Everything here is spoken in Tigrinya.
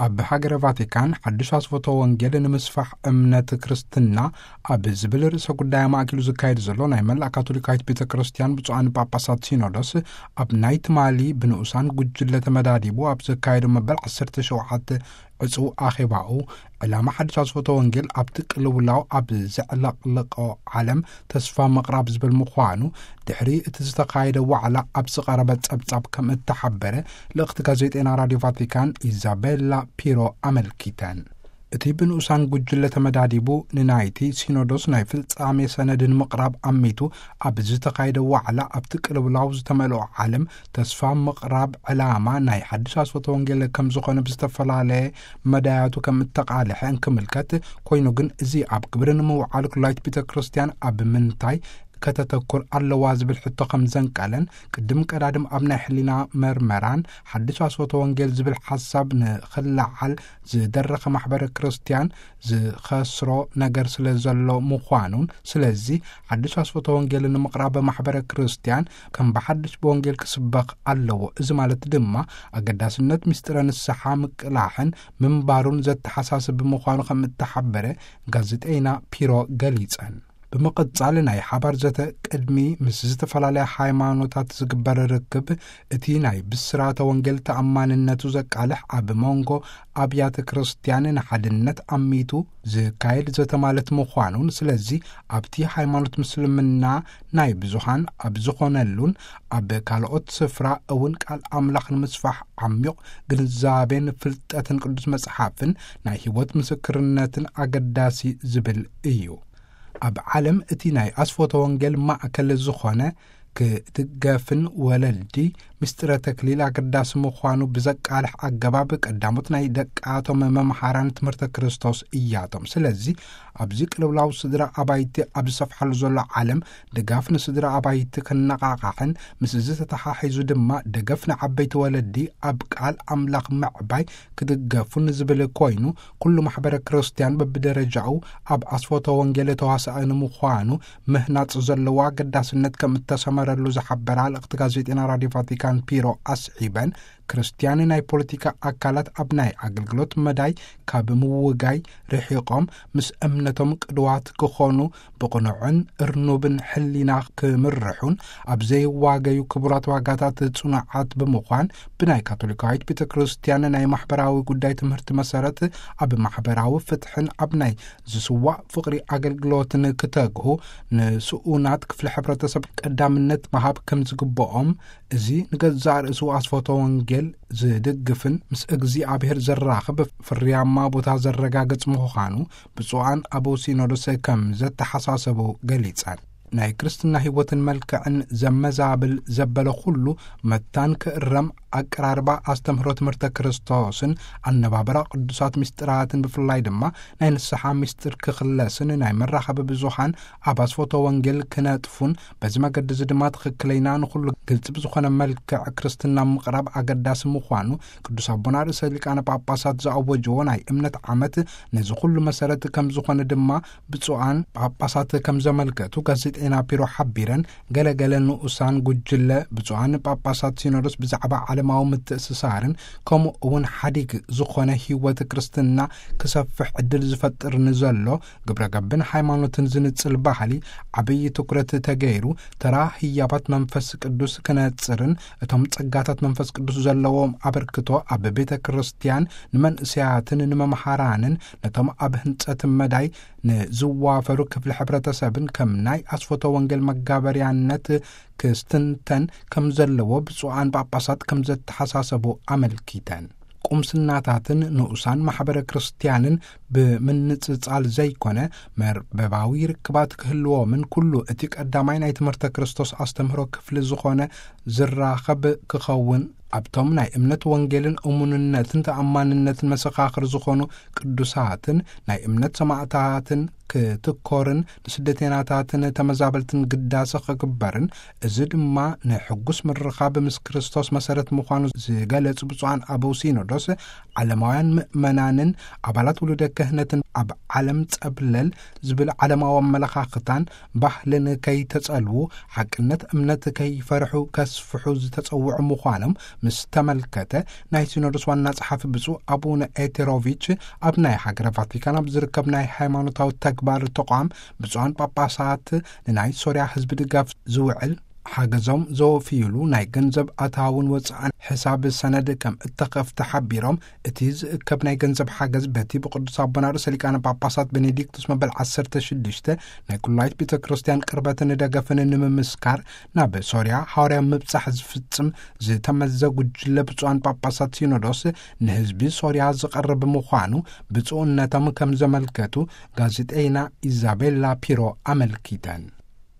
ኣብ ሃገረ ቫቲካን ሓድሽ ኣስፈቶ ወንጌል ንምስፋሕ እምነት ክርስትና ኣብ ዝብል ርእሰ ጉዳይ ማእኪሉ ዝካየድ ዘሎ ናይ መላእ ካቶሊካዊት ቤተ ክርስቲያን ብፁዓን ጳጳሳት ሲኖዶስ፣ ኣብ ናይ ትማሊ ብንኡሳን ጉጅለ ተመዳዲቡ ኣብ ዘካየዶ መበል ዓሰርተ ሸውዓተ ዕጹው ኣኼባኡ፣ ዕላማ ሓድሽ ኣስፈቶ ወንጌል ኣብቲ ቅልውላው ኣብ ዘዕለቕለቖ ዓለም ተስፋ ምቕራብ ዝብል ምዃኑ፣ ድሕሪ እቲ ዝተኻየደ ዋዕላ ኣብ ዝቐረበ ጸብጻብ ከም እተሓበረ፣ ልእኽቲ ጋዜጠና ራድዮ ቫቲካን ኢዛቤላ ፒሮ ኣመልኪተን። እቲ ብንኡሳን ጉጅለ ተመዳዲቡ ንናይቲ ሲኖዶስ ናይ ፍጻሜ ሰነድ ንምቕራብ ኣሚቱ ኣብ ዝተኻየደ ዋዕላ፣ ኣብቲ ቅልውላው ዝተመልኦ ዓለም ተስፋ ምቕራብ ዕላማ ናይ ሓድሽ ኣስፈቶ ወንጌል ከም ዝኾነ ብዝተፈላለየ መዳያቱ ከም እተቓልሐ እንክምልከት፣ ኮይኑ ግን እዚ ኣብ ግብሪ ንምውዓል ኩላይት ቤተ ክርስቲያን ኣብ ምንታይ ከተተኩር ኣለዋ ዝብል ሕቶ ከም ዘንቀለን፣ ቅድም ቀዳድም ኣብ ናይ ሕሊና መርመራን ሓድሽ ኣስፈቶ ወንጌል ዝብል ሓሳብ ንኽለዓል ዝደረኸ ማሕበረ ክርስቲያን ዝኸስሮ ነገር ስለ ዘሎ ምዃኑን፣ ስለዚ ሓድሽ ኣስፈቶ ወንጌል ንምቕራብ ማሕበረ ክርስቲያን ከም ብሓድሽ ብወንጌል ክስበኽ ኣለዎ። እዚ ማለት ድማ ኣገዳስነት ምስጢረ ንስሓ ምቅላሕን ምንባሩን ዘተሓሳስብ ምዃኑ ከም እተሓበረ ጋዜጠይና ፒሮ ገሊጸን። ብምቕጻል ናይ ሓባር ዘተ ቅድሚ ምስ ዝተፈላለያ ሃይማኖታት ዝግበር ርክብ፣ እቲ ናይ ብስራተ ወንጌል ተኣማንነቱ ዘቃልሕ ኣብ መንጎ ኣብያተ ክርስቲያን ንሓድነት ኣሚቱ ዝካየድ ዘተ ማለት ምዃኑን፣ ስለዚ ኣብቲ ሃይማኖት ምስልምና ናይ ብዙሃን ኣብ ዝኾነሉን ኣብ ካልኦት ስፍራ እውን ቃል ኣምላኽ ንምስፋሕ ዓሚቕ ግንዛቤን ፍልጠትን ቅዱስ መጽሓፍን ናይ ህይወት ምስክርነትን ኣገዳሲ ዝብል እዩ። ኣብ ዓለም እቲ ናይ ኣስፎተ ወንጌል ማእከል ዝኾነ፣ ክድገፍን ወለዲ ምስጢረ ተክሊል ኣገዳሲ ምዃኑ ብዘቃልሕ ኣገባብ፣ ቀዳሞት ናይ ደቃቶም መምሃራን ትምህርተ ክርስቶስ እያቶም። ስለዚ ኣብዚ ቅልውላው ስድራ ኣባይቲ ኣብ ዝሰፍሓሉ ዘሎ ዓለም፣ ድጋፍ ንስድራ ኣባይቲ ክነቓቓሕን ምስዚ ተተሓሒዙ ድማ ደገፍ ንዓበይቲ ወለዲ ኣብ ቃል ኣምላኽ ምዕባይ ክድገፉን ዝብል ኮይኑ፣ ኩሉ ማሕበረ ክርስቲያን በብደረጃኡ ኣብ ኣስፎተ ወንጌል ተዋሳኢ ንምዃኑ ምህናጽ ዘለዎ ኣገዳስነት ከም እተሰመረሉ ዝሓበራ ልእኽቲ ጋዜጠና ራድዮ ቫቲካን ፒሮ ኣስዒበን፣ ክርስቲያን ናይ ፖለቲካ ኣካላት ኣብ ናይ ኣገልግሎት መዳይ ካብ ምውጋይ ርሒቖም፣ ምስ እምነቶም ቅድዋት ክኾኑ፣ ብቕኑዕን እርኑብን ሕሊና ክምርሑን፣ ኣብ ዘይዋገዩ ክቡራት ዋጋታት ጽኑዓት ብምዃን፣ ብናይ ካቶሊካዊት ቤተ ክርስቲያን ናይ ማሕበራዊ ጉዳይ ትምህርቲ መሰረት፣ ኣብ ማሕበራዊ ፍትሕን ኣብ ናይ ዝስዋእ ፍቕሪ ኣገልግሎትን ክተግሁ፣ ንስኡናት ክፍሊ ሕብረተሰብ ቀዳምነት ምሃብ ከም ዝግብኦም፣ እዚ ንገዛእ ርእሱ ኣስፎተ ወንጌል ዝድግፍን ምስ እግዚኣብሔር ዘራኽብ ፍርያማ ቦታ ዘረጋግጽ ምዃኑ ብፁዓን ኣበው ሲኖዶስ ከም ዘተሓሳሰቡ ገሊጸን። ናይ ክርስትና ህይወትን መልክዕን ዘመዛብል ዘበለ ኩሉ መታን ክእረም፣ ኣቀራርባ ኣስተምህሮ ትምህርተ ክርስቶስን ኣነባብራ ቅዱሳት ምስጢራትን፣ ብፍላይ ድማ ናይ ንስሓ ምስጢር ክኽለስን ናይ መራኸቢ ብዙሃን ኣብ ኣስፎተ ወንጌል ክነጥፉን፣ በዚ መገዲ እዚ ድማ ትኽክለይና ንኹሉ ግልጺ ብዝኾነ መልክዕ ክርስትና ምቕራብ ኣገዳሲ ምዃኑ ቅዱስ ኣቦና ርእሰ ሊቃነ ጳጳሳት ዝኣወጅዎ ናይ እምነት ዓመት ነዚ ኩሉ መሰረት ከም ዝኾነ ድማ ብፁዓን ጳጳሳት ከም ዘመልከቱ ጋዜጠና ፒሮ ሓቢረን፣ ገለገለ ንኡሳን ጉጅለ ብፁዓን ጳጳሳት ሲኖዶስ ብዛዕባ ዓለማዊ ምትእስሳርን ከምኡ እውን ሓዲግ ዝኾነ ህይወት ክርስትና ክሰፍሕ ዕድል ዝፈጥር ንዘሎ ግብረ ገብን ሃይማኖትን ዝንጽል ባህሊ ዓብዪ ትኩረት ተገይሩ፣ ተራ ህያባት መንፈስ ቅዱስ ክነጽርን እቶም ጸጋታት መንፈስ ቅዱስ ዘለዎም ኣበርክቶ ኣብ ቤተ ክርስቲያን ንመንእሰያትን ንመምሃራንን ነቶም ኣብ ህንጸት መዳይ ንዝዋፈሩ ክፍሊ ሕብረተሰብን ከም ናይ ኣስፎተ ወንጌል መጋበርያነት ክስትንተን ከም ዘለዎ ብፁዓን ጳጳሳት ከም ዘተሓሳሰቡ ኣመልኪተን። ቁምስናታትን ንኡሳን ማሕበረ ክርስቲያንን ብምንጽጻል ዘይኮነ፣ መርበባዊ ርክባት ክህልዎምን፣ ኩሉ እቲ ቀዳማይ ናይ ትምህርተ ክርስቶስ ኣስተምህሮ ክፍሊ ዝኾነ ዝራኸብ ክኸውን፣ ኣብቶም ናይ እምነት ወንጌልን እሙንነትን ተኣማንነትን መሰኻኽር ዝኾኑ ቅዱሳትን ናይ እምነት ሰማዕታትን ክትኮርን ንስደተናታትን ተመዛበልትን ግዳሰ ክግበርን፣ እዚ ድማ ንሕጉስ ምርኻብ ምስ ክርስቶስ መሰረት ምዃኑ ዝገለጹ ብፁዓን ኣበው ሲኖዶስ፣ ዓለማውያን ምእመናንን ኣባላት ውሉደ ክህነትን ኣብ ዓለም ጸብለል ዝብል ዓለማዊ ኣመለኻኽታን ባህልን ከይተጸልዉ፣ ሓቅነት እምነት ከይፈርሑ ከስፍሑ ዝተጸውዑ ምዃኖም ምስ ተመልከተ፣ ናይ ሲኖዶስ ዋና ጸሓፊ ብፁዕ ኣቡነ ኤቴሮቪች ኣብ ናይ ሃገረ ቫቲካን ኣብ ዝርከብ ናይ ሃይማኖታዊ ተግባር ተቋም ብፁዓን ጳጳሳት ንናይ ሶርያ ህዝቢ ድጋፍ ዝውዕል ሓገዞም ዘወፍዩሉ ናይ ገንዘብ ኣታውን ወጻእን ሕሳብ ሰነድ ከም እተኸፍተ ሓቢሮም፣ እቲ ዝእከብ ናይ ገንዘብ ሓገዝ በቲ ብቅዱስ ኣቦና ርእሰ ሊቃነ ጳጳሳት ቤኔዲክቱስ መበል ዓሰርተ ሽዱሽተ ናይ ኩላይት ቤተ ክርስቲያን ቅርበትን ደገፍን ንምምስካር ናብ ሶርያ ሃዋርያ ምብጻሕ ዝፍጽም ዝተመዘ ጉጅለ ብፁዓን ጳጳሳት ሲኖዶስ ንህዝቢ ሶርያ ዝቐርብ ምዃኑ ብፁዕነቶም ከም ዘመልከቱ ጋዜጠይና ኢዛቤላ ፒሮ ኣመልኪተን።